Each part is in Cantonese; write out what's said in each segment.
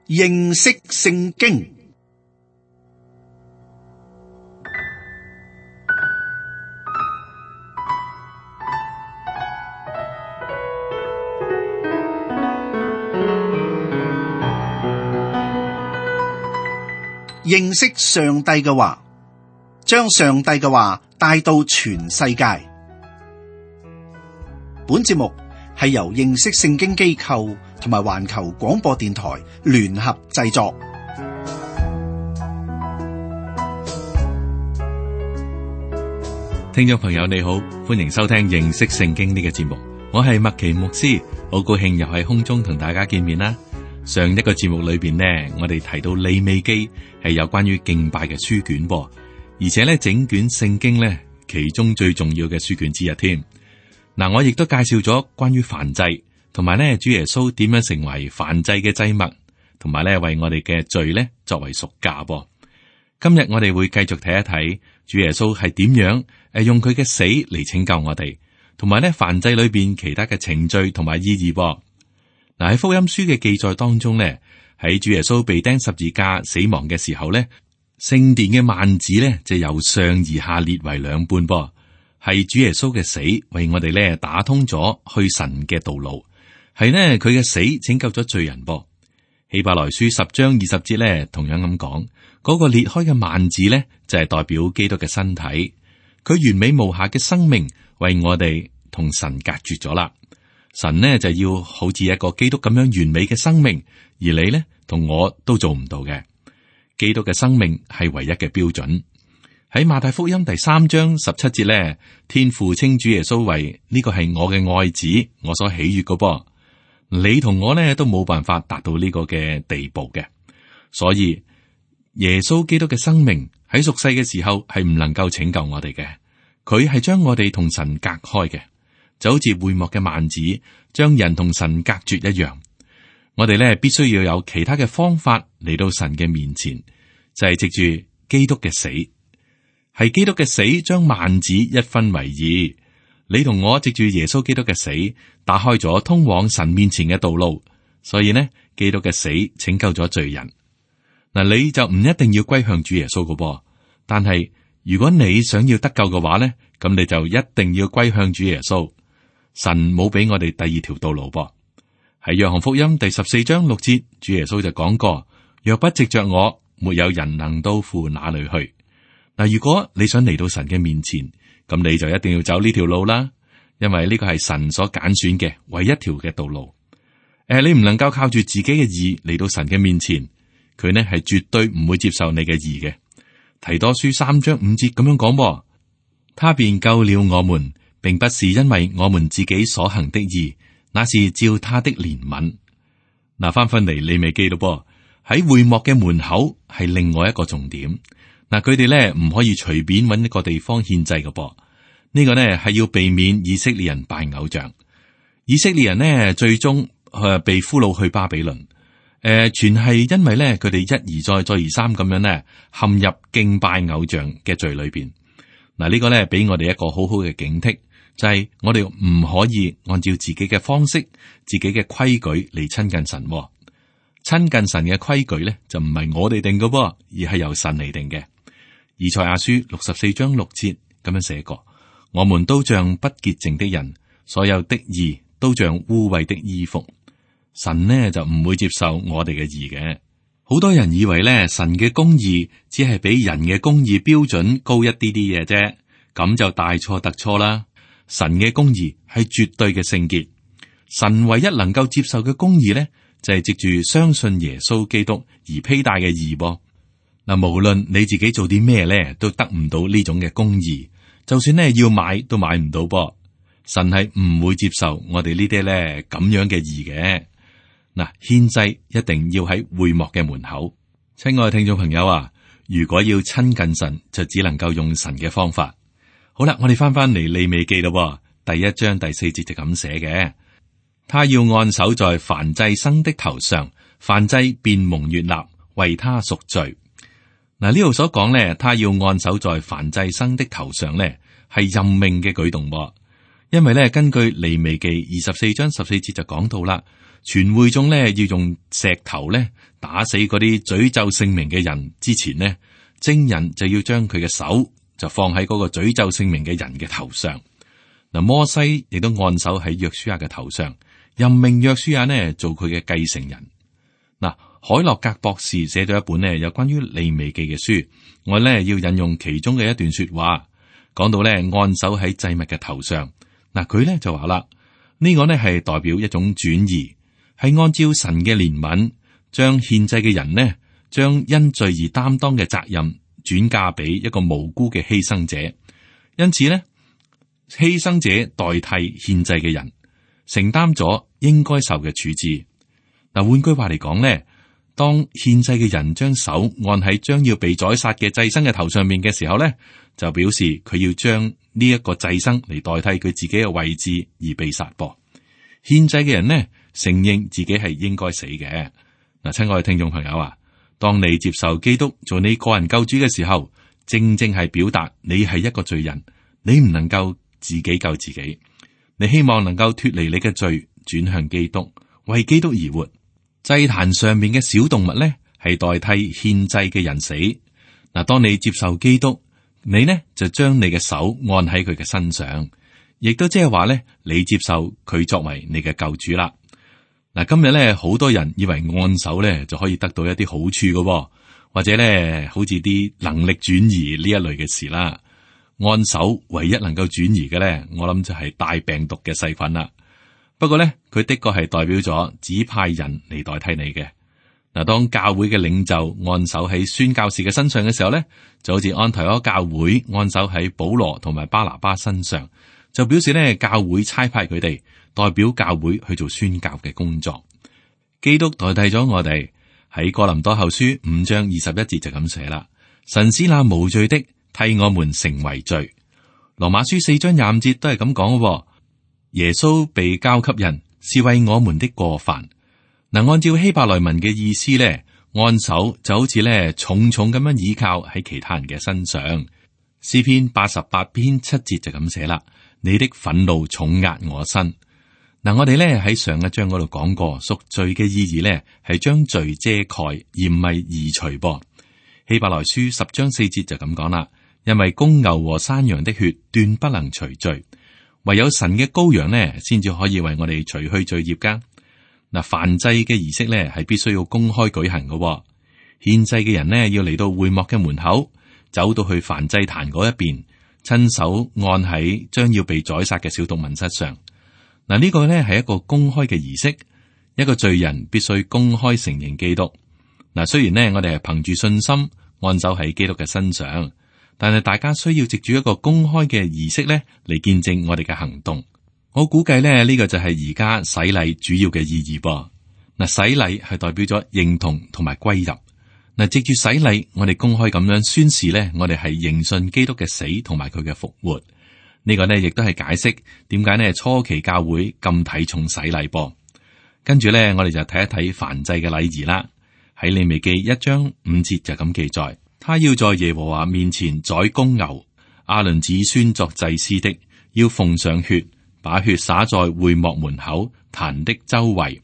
認識聖經。認識上帝嘅話，將上帝嘅話帶到全世界。本節目係由認識聖經機構同埋環球廣播電台聯合製作。聽眾朋友你好，歡迎收聽認識聖經呢個節目，我係麥奇牧師，好高興又喺空中同大家見面啦。上一個節目裏邊呢，我哋提到利未記係有關於敬拜嘅書卷噃，而且呢整卷聖經呢其中最重要嘅書卷之一添。嗱，我亦都介紹咗關於燔祭，同埋呢主耶穌點樣成為燔祭嘅祭物，同埋呢為我哋嘅罪呢作為贖價噃。今日我哋會繼續睇一睇主耶穌係點樣用佢嘅死嚟拯救我哋，同埋呢燔祭裏邊其他嘅程序同埋意義噃。嗱，喺福音書嘅記載當中呢，喺主耶穌被釘十字架死亡嘅時候呢，聖殿嘅幔子呢就由上而下裂為兩半噃，係主耶穌嘅死為我哋呢打通咗去神嘅道路，係呢佢嘅死拯救咗罪人噃。希伯來書10章20節呢同樣咁講，嗰個裂開嘅幔子呢就係代表基督嘅身體，佢完美無瑕嘅生命為我哋同神隔絕咗啦。神呢就要好似一個基督咁樣完美嘅生命，而你呢同我都做唔到嘅。基督嘅生命係唯一嘅標準。喺馬太福音第3章17節呢，天父稱主耶穌為呢個係我嘅愛子，我所喜悅嘅噃。你同我呢都冇辦法達到呢個嘅地步嘅，所以耶穌基督嘅生命喺屬世嘅時候係唔能夠拯救我哋嘅，佢係將我哋同神隔開嘅。就好似會幕嘅幔子將人同神隔絕一樣，我哋咧必須要有其他嘅方法嚟到神嘅面前，就係藉住基督嘅死，係基督嘅死將幔子一分為二。你同我藉住耶穌基督嘅死，打開咗通往神面前嘅道路，所以呢，基督嘅死拯救咗罪人。嗱，你就唔一定要歸向主耶穌㗎噃，但係如果你想要得救嘅話呢，咁你就一定要歸向主耶穌。神冇俾我哋第二條道路噃。喺約翰福音第14章6節，主耶穌就講過：若不藉着我，沒有人能到父那裏去。嗱，如果你想嚟到神嘅面前，咁你就一定要走呢條路啦，因為呢個係神所揀選嘅唯一條嘅道路。你唔能夠靠住自己嘅義嚟到神嘅面前，佢呢係絕對唔會接受你嘅義嘅。提多書3章5節咁樣講：他便救了我們，並不是因為我們自己所行的義，那是照他的憐憫。嗱，翻嚟利未記咯噃，喺會幕嘅門口係另外一個重點。嗱，佢哋咧唔可以隨便揾一個地方獻祭嘅噃。呢個呢係要避免以色列人拜偶像。以色列人呢最終被俘虜去巴比倫。全係因為咧佢哋一而再再而三咁樣呢陷入敬拜偶像嘅罪裏邊。嗱，呢個咧俾我哋一個好好嘅警惕。就係我哋唔可以按照自己嘅方式、自己嘅規矩嚟親近神。親近神嘅規矩咧，就唔係我哋定嘅，而係由神嚟定嘅。以賽亞書64章6節咁樣寫過：我們都像不潔淨的人，所有的義都像污穢的衣服。神呢就唔會接受我哋嘅義嘅。好多人以為咧，神嘅公義只係比人嘅公義標準高一啲啲嘢啫，咁就大錯特錯啦。神嘅公義係絕對嘅聖潔，神唯一能夠接受嘅公義咧，就係藉住相信耶穌基督而披戴嘅義噃。嗱，無論你自己做啲咩咧，都得唔到呢種嘅公義，就算咧要買都買唔到噃。神係唔會接受我哋呢啲咧咁樣嘅義嘅。嗱，獻祭一定要喺會幕嘅門口。親愛嘅聽眾朋友啊，如果要親近神，就只能夠用神嘅方法。好啦，我哋翻嚟利未記咯，第1章第4節就咁寫嘅：他要按手在燔祭牲的頭上，燔祭便蒙悅納，為他贖罪。嗱，呢度所講咧，他要按手在燔祭牲的頭上咧，係任命嘅舉動。因為咧，根據利未記24章14節就講到啦，全會眾呢要用石頭呢打死嗰啲詛咒聖名嘅人之前呢，證人就要將佢嘅手就放喺嗰個詛咒聖名嘅人嘅頭上。嗱，摩西亦都按手喺約書亞嘅頭上，任命約書亞呢做佢嘅繼承人。嗱，海洛格博士寫咗一本呢有關於利未記嘅書，我呢要引用其中嘅一段說話，講到呢按手喺祭物嘅頭上。嗱，佢呢就話啦，呢個呢係代表一種轉移，係按照神嘅憐憫，將獻祭嘅人呢，將因罪而擔當嘅責任轉嫁俾一個無辜嘅犧牲者。因此呢，犧牲者代替獻祭嘅人，承擔咗應該受嘅處置。嗱，換句話嚟講呢，當獻祭嘅人將手按喺將要被宰殺嘅祭牲嘅頭上面嘅時候呢，就表示佢要將呢一個祭牲嚟代替佢自己嘅位置而被殺噃。獻祭嘅人呢，承認自己係應該死嘅。嗱，親愛嘅聽眾朋友啊，當你接受基督做你個人救主嘅時候，正正係表達你係一個罪人，你唔能夠自己救自己，你希望能夠脫離你嘅罪，轉向基督，為基督而活。祭壇上面嘅小動物呢，係代替獻祭嘅人死。嗱，當你接受基督，你呢就將你嘅手按喺佢嘅身上，亦都即係話呢，你接受佢作為你嘅救主啦。嗱，今日呢，好多人以為按手呢就可以得到一啲好處嘅，或者呢好似啲能力轉移呢一類嘅事啦。按手唯一能夠轉移嘅呢，我諗就係帶病毒嘅細菌啦。不過呢，佢的確係代表咗指派人嚟代替你嘅。嗱，當教會嘅領袖按手喺宣教士嘅身上嘅時候呢，就好似安提阿教會按手喺保羅同埋巴拿巴身上，就表示呢，教會差派佢哋代表教會去做宣教嘅工作。基督代替咗我哋，喺哥林多後書5章21節就咁寫啦：神使那無罪的替我們成為罪。羅馬書4章25節都係咁講嘅。耶穌被交給人，是為我們的過犯。嗱，按照希伯來文嘅意思咧，按手就好似咧重重咁樣倚靠喺其他人嘅身上。詩篇88篇7節就咁寫啦：你的憤怒重壓我身。嗱，我哋咧喺上一章嗰度講過，贖罪嘅意義咧係將罪遮蓋，而唔係移除噃。希伯來書10章4節就咁講啦：因為公牛和山羊的血斷不能除罪。唯有神嘅羔羊呢，先至可以為我哋除去罪孽噶。嗱，燔祭嘅儀式呢，係必須要公開舉行嘅。獻祭嘅人呢，要嚟到會幕嘅門口，走到去燔祭壇嗰一邊，親手按喺將要被宰殺嘅小動物身上。嗱，呢個呢係一個公開嘅儀式，一個罪人必須公開承認基督。嗱，雖然呢，我哋係憑住信心按手喺基督嘅身上。但係大家需要藉住一個公開嘅儀式咧，嚟見證我哋嘅行動。我估計咧，呢個就係而家洗禮主要嘅意義噃。嗱，洗禮係代表咗認同同埋歸入。嗱，藉住洗禮，我哋公開咁樣宣示咧，我哋係認信基督嘅死同埋佢嘅復活。呢個呢，亦都係解釋點解呢初期教會咁睇重洗禮噃。跟住咧，我哋就睇一睇燔祭嘅禮儀啦。喺利未記1章5節就咁記載。他要在耶和華面前宰公牛，亞倫子孫作祭司的，要奉上血，把血灑在會幕門口壇的周圍。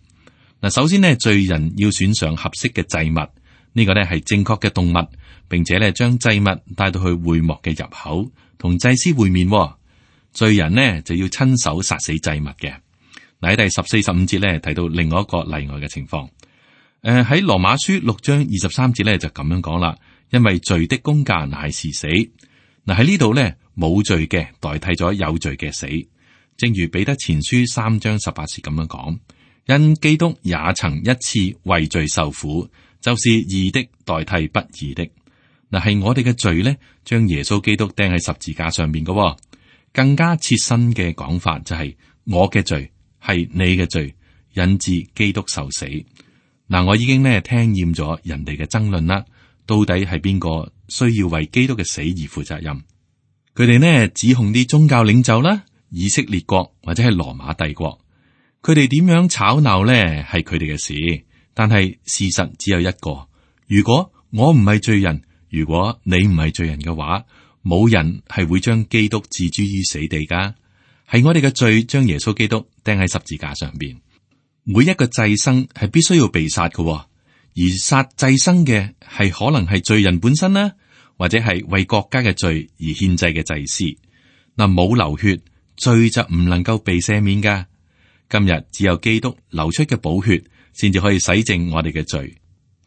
嗱，首先呢，罪人要選上合適嘅祭物，呢個呢係正確嘅動物，並且呢將祭物帶到去會幕嘅入口，同祭司會面。罪人呢就要親手殺死祭物嘅。嗱，喺第14、15節呢提到另外一個例外嘅情況。喺羅馬書6章23節呢就咁樣講啦。因為罪的工價乃是死。嗱，喺呢度咧，冇罪嘅代替咗有罪嘅死，正如彼得前書3章18節咁樣講。因基督也曾一次為罪受苦，就是義的代替不義的。嗱，係我哋嘅罪咧，將耶穌基督釘喺十字架上面嘅。更加切身嘅講法就係我嘅罪係你嘅罪，引致基督受死。嗱，我已經咧聽厭咗人哋嘅爭論啦。到底係邊個需要為基督嘅死而負責任？佢哋呢指控啲宗教領袖啦、以色列國或者係羅馬帝國，佢哋點樣吵鬧呢？係佢哋嘅事。但係事實只有一個：如果我唔係罪人，如果你唔係罪人嘅話，冇人係會將基督置諸於死地噶。係我哋嘅罪將耶穌基督釘喺十字架上邊。每一個祭牲係必須要被殺嘅，而殺祭牲嘅係可能係罪人本身啦，或者係為國家嘅罪而獻祭嘅祭司。嗱，冇流血，罪就唔能夠被赦免噶。今日只有基督流出嘅寶血，先至可以洗淨我哋嘅罪。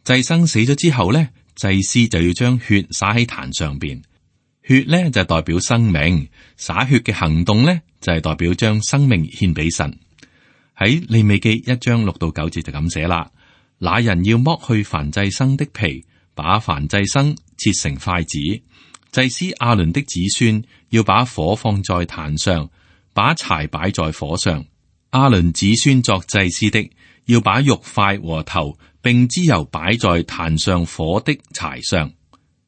祭牲死咗之後咧，祭司就要將血灑喺壇上邊。血咧就代表生命，灑血嘅行動咧就係代表將生命獻俾神。喺利未記1章6到9節就咁寫啦。那人要剝去燔祭牲的皮，把燔祭牲切成塊子。祭司亞倫的子孫要把火放在壇上，把柴擺在火上。亞倫子孫作祭司的，要把肉塊和頭並脂油擺在壇上火的柴上。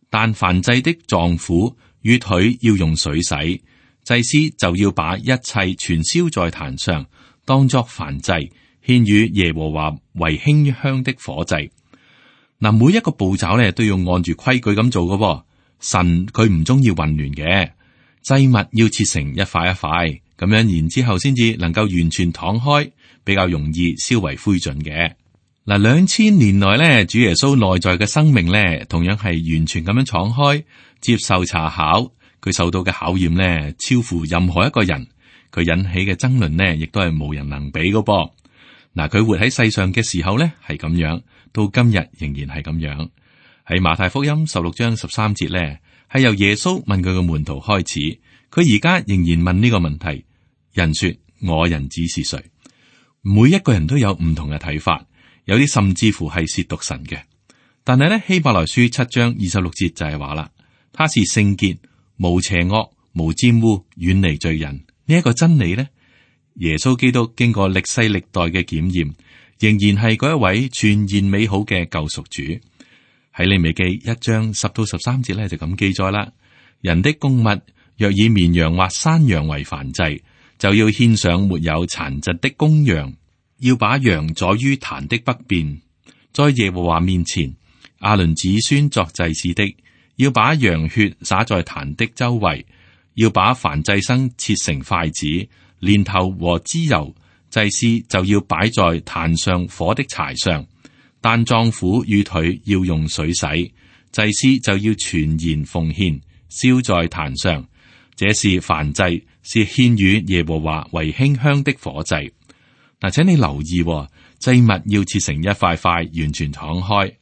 但燔祭的臟腑與腿要用水洗，祭司就要把一切全燒在壇上，當作燔祭，獻與耶和華為馨香的火祭。嗱，每一個步驟咧都要按住規矩咁做嘅。神佢唔中意混亂嘅，祭物要切成一塊一塊咁樣，然之後先至能夠完全敞開，比較容易燒為灰燼嘅。嗱，2000年來咧，主耶穌內在嘅生命咧，同樣係完全咁樣敞開，接受查考。佢受到嘅考驗咧，超乎任何一個人。佢引起嘅爭論呢，亦都係無人能比嘅噃。嗱，佢活喺世上嘅時候咧係咁樣，到今日仍然係咁樣。喺馬太福音16章13節咧，係由耶穌問佢嘅門徒開始，佢而家仍然問呢個問題：人說我人子是誰？每一個人都有唔同嘅睇法，有啲甚至乎係褻瀆神嘅。但係咧，希伯來書7章26節就係話啦，他是聖潔、無邪惡、無沾污、遠離罪人。呢一個真理咧，耶穌基督經過歷世歷代嘅檢驗，仍然係嗰一位全然美好嘅救贖主。喺利未記1章10到13節咧就咁記載啦。人的供物若以綿羊或山羊為燔祭，就要獻上沒有殘疾的公羊，要把羊宰於壇的北邊，在耶和華面前。亞倫子孫作祭司的，要把羊血灑在壇的周圍，要把燔祭牲切成塊子，連頭和脂油，祭司就要擺在壇上火的柴上。但臟腑與腿要用水洗，祭司就要全然奉獻，燒在壇上。這是燔祭，是獻與耶和華為馨香的火祭。嗱，請你留意，祭物要切成一塊塊，完全敞開。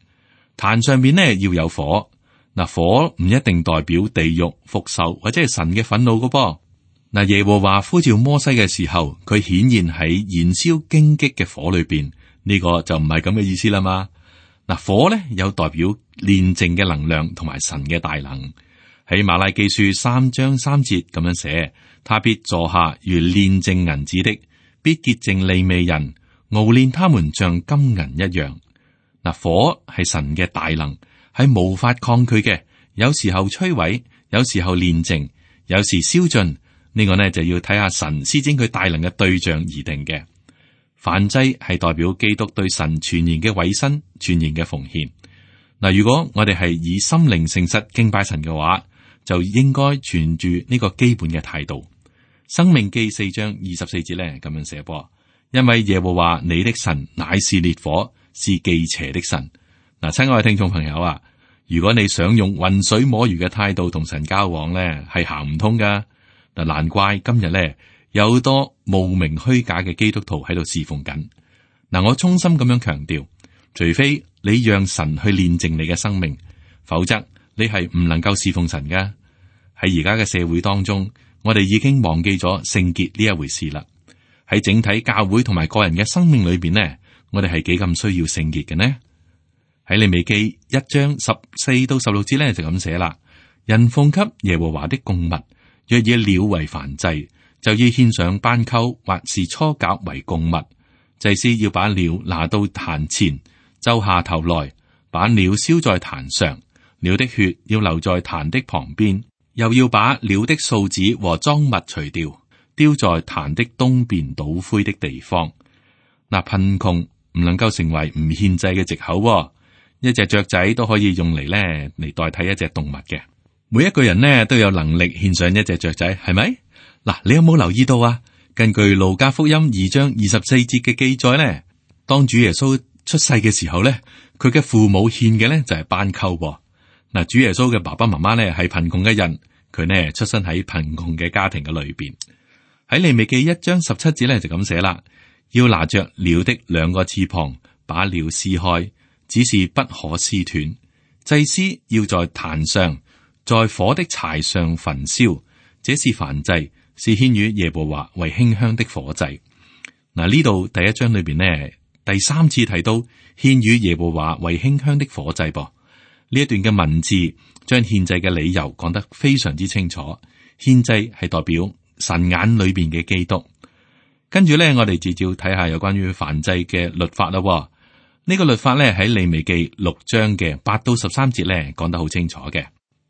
壇上面呢要有火。嗱，火唔一定代表地獄、復仇或者係神嘅憤怒噶噃。嗱，耶和華呼召摩西嘅時候，佢顯現喺燃燒荊棘嘅火裏邊。呢個就唔係咁嘅意思啦嘛。嗱，火咧有代表煉淨嘅能量同埋神嘅大能。喺馬拉基書3章3節咁樣寫，他必坐下如煉淨銀子的，必潔淨利未人，熬煉他們像金銀一樣。嗱，火係神嘅大能，係無法抗拒嘅。有時候摧毀，有時候煉淨，有時燒盡。呢個呢就要睇下神施展佢大能嘅對象而定嘅。燔祭係代表基督對神全然嘅委身、全然嘅奉獻。嗱，如果我哋係以心靈誠實敬拜神嘅話，就應該存住呢個基本嘅態度。申命記4章24節咧咁樣寫噃，因為耶和華你的神乃是烈火，是忌邪的神。嗱，親愛嘅聽眾朋友啊，如果你想用渾水摸魚嘅態度同神交往咧，係行唔通噶。嗱，難怪今日咧，有好多冒名虛假嘅基督徒喺度侍奉緊。嗱，我衷心咁樣強調，除非你讓神去煉淨你嘅生命，否則你係唔能夠侍奉神噶。喺而家嘅社會當中，我哋已經忘記咗聖潔呢一回事啦。喺整體教會同埋個人嘅生命裏邊呢，我哋係幾咁需要聖潔嘅呢？喺利未記1章14到16節咧就咁寫啦。人奉給耶和華的供物，若以鳥為燔祭，就要獻上斑鳩或是雛鴿為供物。祭司要把鳥拿到壇前，揪下頭來，把鳥燒在壇上，鳥的血要留在壇的旁邊，又要把鳥的素子和贓物除掉，丟在壇的東邊倒灰的地方。嗱，貧窮唔能夠成為唔獻祭嘅藉口喎。一隻雀仔都可以用嚟代替一隻動物嘅。每一個人呢都有能力獻上一隻雀仔，係咪？嗱，你有冇留意到啊？根據路加福音2章24節嘅記載呢，當主耶穌出世嘅時候咧，佢嘅父母獻嘅咧就係斑鳩。嗱，主耶穌嘅爸爸媽媽咧係貧窮嘅人，佢呢出生喺貧窮嘅家庭嘅裏邊。喺利未記1章17節咧就咁寫啦，要拿着鳥的2個翅膀，把鳥撕開，只是不可撕斷。祭司要在壇上，在火的柴上焚燒，這是燔祭，是獻與耶和華為馨香的火祭。嗱，呢度第1章裏邊呢，第3次提到獻與耶和華為馨香的火祭噃。呢一段嘅文字將獻祭嘅理由講得非常之清楚。獻祭係代表神眼裏邊嘅基督。跟住咧，我哋照睇下有關於燔祭嘅律法啦。呢個律法咧喺利未記6章嘅8到13節咧講得好清楚嘅。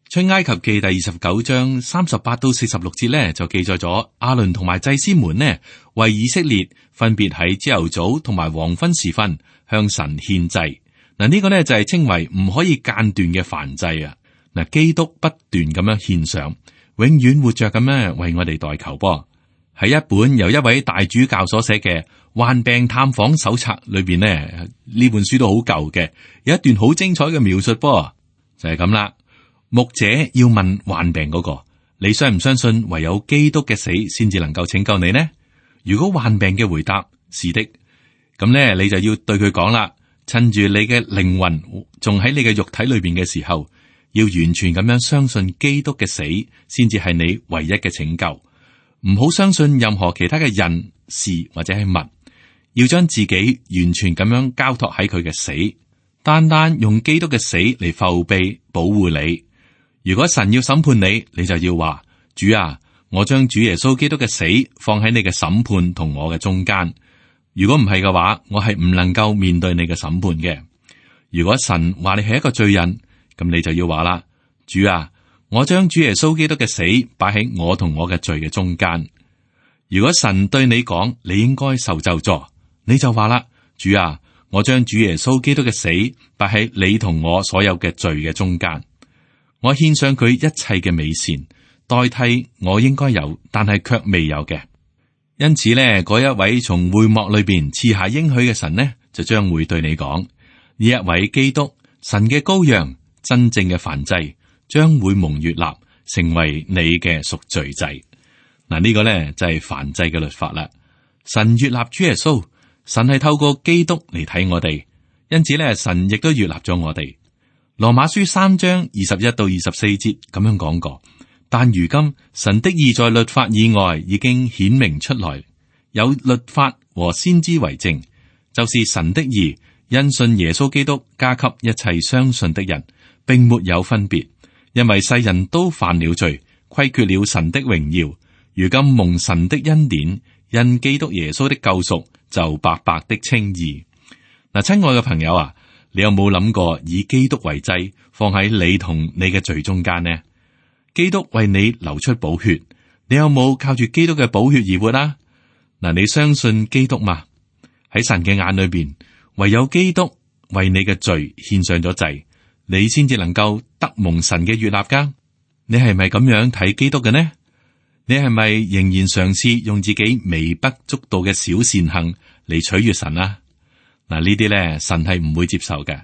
出埃及記第29章38到46節咧就記載咗亞倫同埋祭司們呢為以色列分別喺朝頭早同埋黃昏時分向神獻祭。嗱，呢個咧就係稱為唔可以間斷嘅燔祭啊！嗱，基督不斷咁樣獻上，永遠活着咁樣為我哋代求噃。喺一本由一位大主教所寫嘅患病探訪手冊裏邊呢本書都好舊嘅，有一段好精彩嘅描述噃，就係咁啦。牧者要問患病嗰個，你相唔相信唯有基督嘅死先至能夠拯救你呢？如果患病嘅回答是的，咁呢你就要對佢講啦。趁住你嘅靈魂仲喺你嘅肉體裏邊嘅時候，要完全咁樣相信基督嘅死，先至係你唯一嘅拯救。唔好相信任何其他嘅人事或者係物，要將自己完全咁樣交託喺佢嘅死，單單用基督嘅死嚟覆庇保護你。如果神要審判你，你就要話：主啊，我將主耶穌基督嘅死放喺你嘅審判同我嘅中間。如果唔係嘅話，我係唔能夠面對你嘅審判嘅。如果神話你係一個罪人，咁你就要話啦：主啊，我將主耶穌基督嘅死擺喺我同我嘅罪嘅中間。如果神對你講你應該受咒詛，你就話啦：主啊，我將主耶穌基督嘅死擺喺你同我所有嘅罪嘅中間。我獻上佢一切嘅美善，代替我應該有但係卻未有嘅。因此呢，嗰一位從會幕裏邊賜下應許嘅神呢，就將會對你講：呢一位基督，神嘅羔羊，真正嘅燔祭，將會蒙悅納，成為你嘅贖罪祭。嗱，呢個呢就係燔祭嘅律法啦。神悅納主耶穌，神係透過基督嚟睇我哋，因此呢，神亦都悅納咗我哋。羅馬書3章21到24節咁樣講過。但如今神的義在律法以外已經顯明出來，有律法和先知為證，就是神的義因信耶穌基督加給一切相信的人，並沒有分別，因為世人都犯了罪，虧缺了神的榮耀。如今蒙神的恩典，因基督耶穌的救贖，就白白的稱義。嗱，親愛嘅朋友啊，你有冇諗過以基督為祭，放喺你同你嘅罪中間呢？基督為你流出寶血，你有冇靠住基督嘅寶血而活啊？嗱，你相信基督嗎？喺神嘅眼裏邊，唯有基督為你嘅罪獻上咗祭，你先至能夠得蒙神嘅悅納噶。你係咪咁樣睇基督嘅呢？你係咪仍然嘗試用自己微不足道嘅小善行嚟取悅神啊？嗱，呢啲咧，神係唔會接受嘅。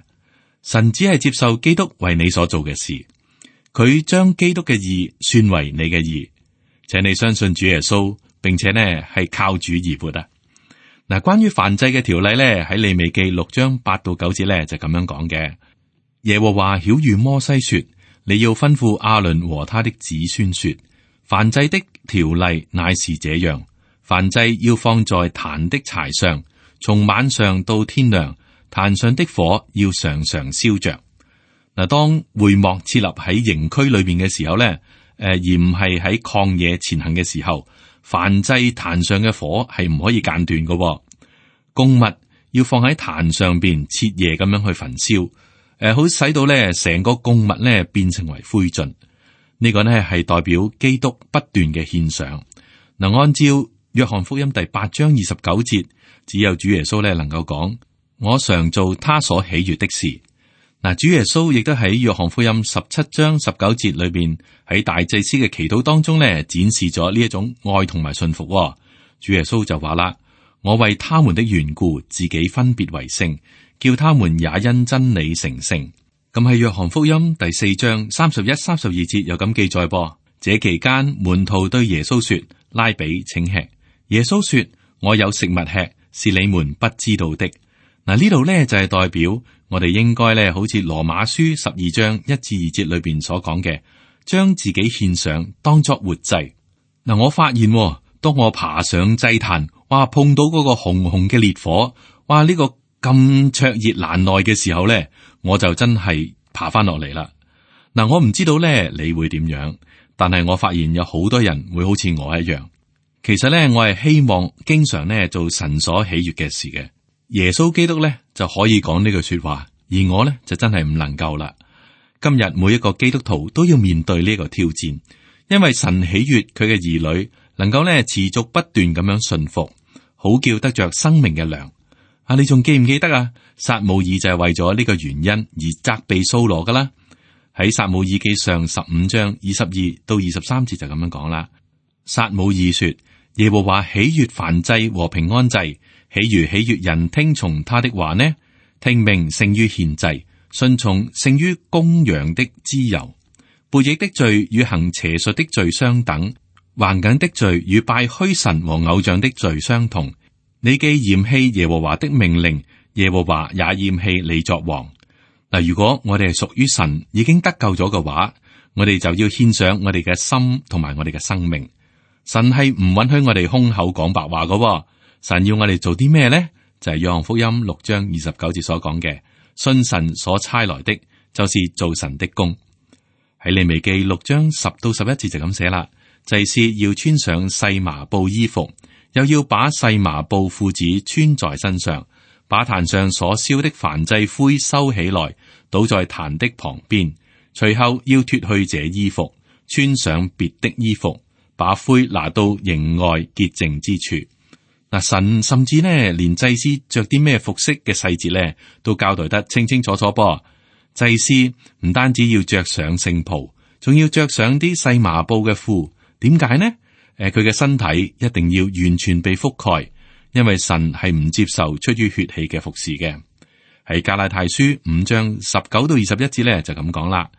神只係接受基督為你所做嘅事。佢將基督嘅義算為你嘅義，請你相信主耶穌，並且呢係靠主而活啊！嗱，關於燔祭嘅條例咧，喺利未記6章8到9節咧就咁樣講嘅。耶和華曉諭摩西說：你要吩咐亞倫和他的子孫說，燔祭的條例乃是這樣：燔祭要放在壇的柴上，從晚上到天亮，壇上的火要常常燒着。嗱，當會幕設立喺營區裏邊嘅時候咧，而唔係喺曠野前行嘅時候，燔祭壇上嘅火係唔可以間斷嘅。供物要放喺壇上邊徹夜咁樣去焚燒，好使到咧成個供物咧變成為灰燼。呢個呢係代表基督不斷嘅獻上。嗱，按照約翰福音第8章29節，只有主耶穌咧能夠講：我常做他所喜悅的事。嗱，主耶穌亦都喺約翰福音17章19節裏邊，喺大祭司嘅祈禱當中咧，展示咗呢一種愛同埋信服。主耶穌就話啦：我為他們的緣故，自己分別為聖，叫他們也因真理成聖。咁喺約翰福音第4章31、32節有咁記載噃。這期間，門徒對耶穌說：拉比，請吃。耶穌說：我有食物吃，是你們不知道的。嗱，呢度呢就係代表我哋應該呢，好似羅馬書12章1至2節裏邊所講嘅，將自己獻上當作活祭。嗱，我發現當我爬上祭壇，哇，碰到嗰個紅紅嘅烈火，哇，呢個咁灼熱難耐嘅時候呢，我就真係爬翻落嚟啦。嗱，我唔知道呢你會點樣，但係我發現有好多人會好似我一樣。其實呢，我係希望經常呢做神所喜悅嘅事嘅。耶穌基督呢就可以講呢句說話，而我呢就真係唔能夠啦。今日每一個基督徒都要面對呢個挑戰，因為神喜悅佢嘅兒女能夠呢持續不斷咁樣順服，好叫得着生命嘅糧。啊，你仲記唔記得啊？撒母耳就係為咗呢個原因而責備掃羅噶啦。喺撒母耳記上15章22到23節就咁樣講啦。撒母耳說：耶和華喜悅燔祭和平安祭，豈如喜悅人聽從他的話呢？聽命勝於獻祭，順從勝於公羊的脂油。背逆的罪與行邪術的罪相等，橫梗的罪與拜虛神和偶像的罪相同。你既嫌棄耶和華的命令，耶和華也厭棄你作王。嗱，如果我哋係屬於神，已經得救咗嘅話，我哋就要獻上我哋嘅心同埋我哋嘅生命。神係唔允許我哋空口講白話嘅。神要我哋做啲咩呢？就係約翰福音6章29節所講嘅，信神所差來的，就是做神的工。喺利未記6章10到11節就咁寫啦。祭司要穿上細麻布衣服，又要把細麻布褲子穿在身上，把壇上所燒的燔祭灰收起來，倒在壇的旁邊。隨後要脫去這衣服，穿上別的衣服，把灰拿到營外潔淨之處。嗱，神甚至呢，連祭司着啲咩服飾嘅細節呢，都交代得清清楚楚噃。祭司唔單止要着上聖袍，仲要着上啲細麻布嘅褲。點解呢？佢嘅身體一定要完全被覆蓋，因為神係唔接受出於血氣嘅服侍嘅。喺加拉太書5章19到21節呢，就咁講啦。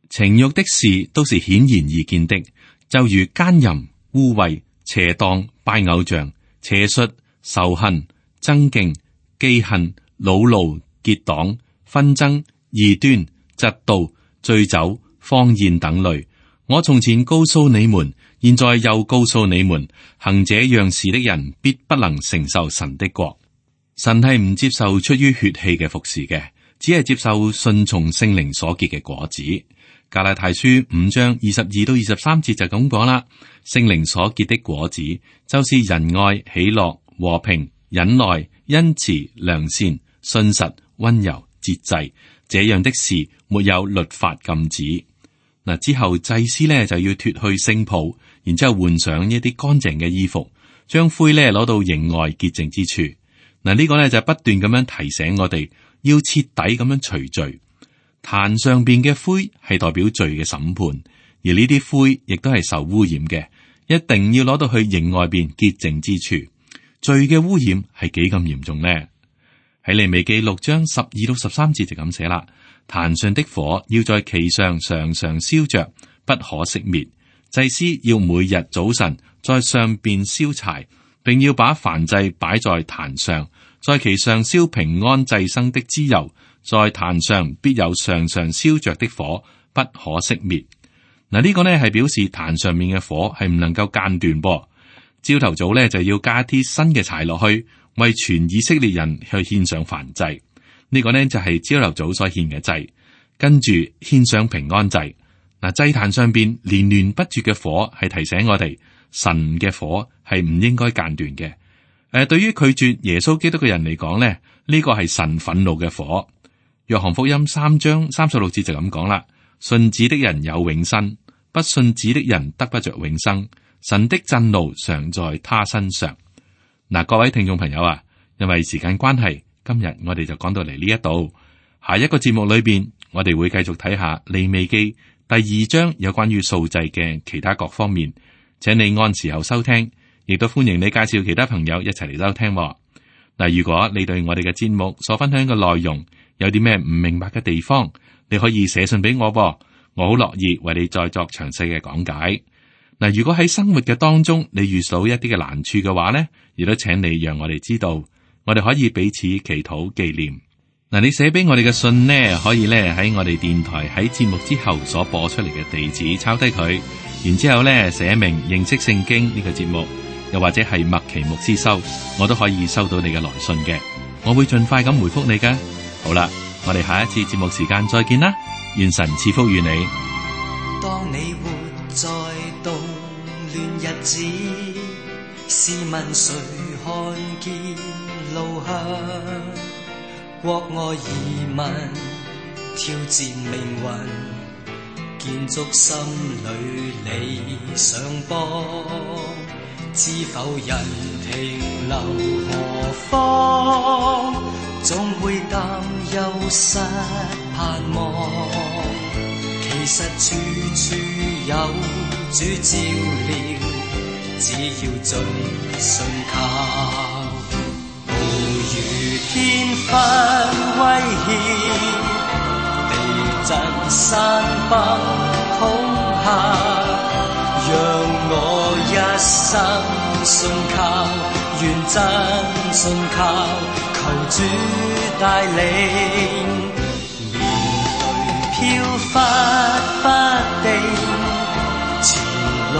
情欲的事都是顯然易見的，就如奸淫、污穢、邪蕩、拜偶像、邪術、仇恨、爭競、忌恨、惱怒、結黨、紛爭、異端、嫉妒、醉酒、荒宴等類。我從前告訴你們，現在又告訴你們，行這樣事的人必不能承受神的國。神係唔接受出於血氣嘅服侍嘅，只係接受順從聖靈所結嘅果子。加拉太書5章22到23節就咁講啦。聖靈所結的果子，就是仁愛、喜樂、和平、忍耐、恩慈、良善、信實、溫柔、節制。這樣的事沒有律法禁止。嗱，之後祭司呢就要脫去聖袍，然之後換上一啲乾淨嘅衣服，將灰呢攞到營外潔淨之處。嗱，呢個呢就不斷咁樣提醒我哋，要徹底咁樣除罪。壇上邊嘅灰係代表罪嘅審判，而呢啲灰亦都係受污染嘅，一定要攞到去營外邊潔淨之處。罪嘅污染係幾咁嚴重呢？喺利未記6章12到13節就咁寫啦。壇上的火要在其上常常燒着，不可熄滅。祭司要每日早晨在上邊燒柴，並要把燔祭擺在壇上，在其上燒平安祭牲的脂油。在壇上必有常常燒着的火，不可熄滅。嗱，呢個呢係表示壇上面嘅火係唔能夠間斷噃。朝頭早呢就要加啲新嘅柴落去，為全以色列人去獻上燔祭。呢個呢就係朝頭早所獻嘅祭，跟住獻上平安祭。嗱，祭壇上邊連連不絕嘅火係提醒我哋，神嘅火係唔應該間斷嘅。對於拒絕耶穌基督嘅人嚟講呢，呢個係神憤怒嘅火。約翰福音3章36節就咁講啦：信子的人有永生，不信子的人得不着永生。神的震怒常在他身上。嗱，各位聽眾朋友啊，因為時間關係，今日我哋就講到嚟呢一度。下一個節目裏邊，我哋會繼續睇下利未記第2章有關於素祭嘅其他各方面，請你按時候收聽，亦都歡迎你介紹其他朋友一齊嚟收聽。嗱，如果你對我哋嘅節目所分享嘅內容有啲咩唔明白嘅地方，你可以寫信俾我，我好樂意為你再作詳細嘅講解。嗱，如果喺生活嘅當中你遇到一啲嘅難處嘅話呢，亦都請你讓我哋知道，我哋可以彼此祈禱紀念。嗱，你寫俾我哋嘅信呢，可以咧喺我哋電台喺節目之後所播出嚟嘅地址抄低佢，然之後咧寫明認識聖經呢個節目，又或者係麥奇牧師收，我都可以收到你嘅來信嘅，我會盡快咁回覆你㗎。好啦，我哋下一次節目時間再見啦，願神賜福與你。當你活在動亂日子，試問誰看見路向？國外移民挑戰命運，建築心裏理想邦，知否人停留何方？總會擔憂失盼望，其實處處有主照料，只要盡信靠。暴雨天紛威脅，地震山崩恐嚇，讓我一生信靠，願真信靠，求主帶領。面對飄忽不定，前路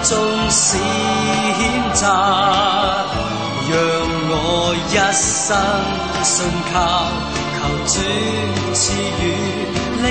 縱使險窄，讓我一生信靠，求主賜予力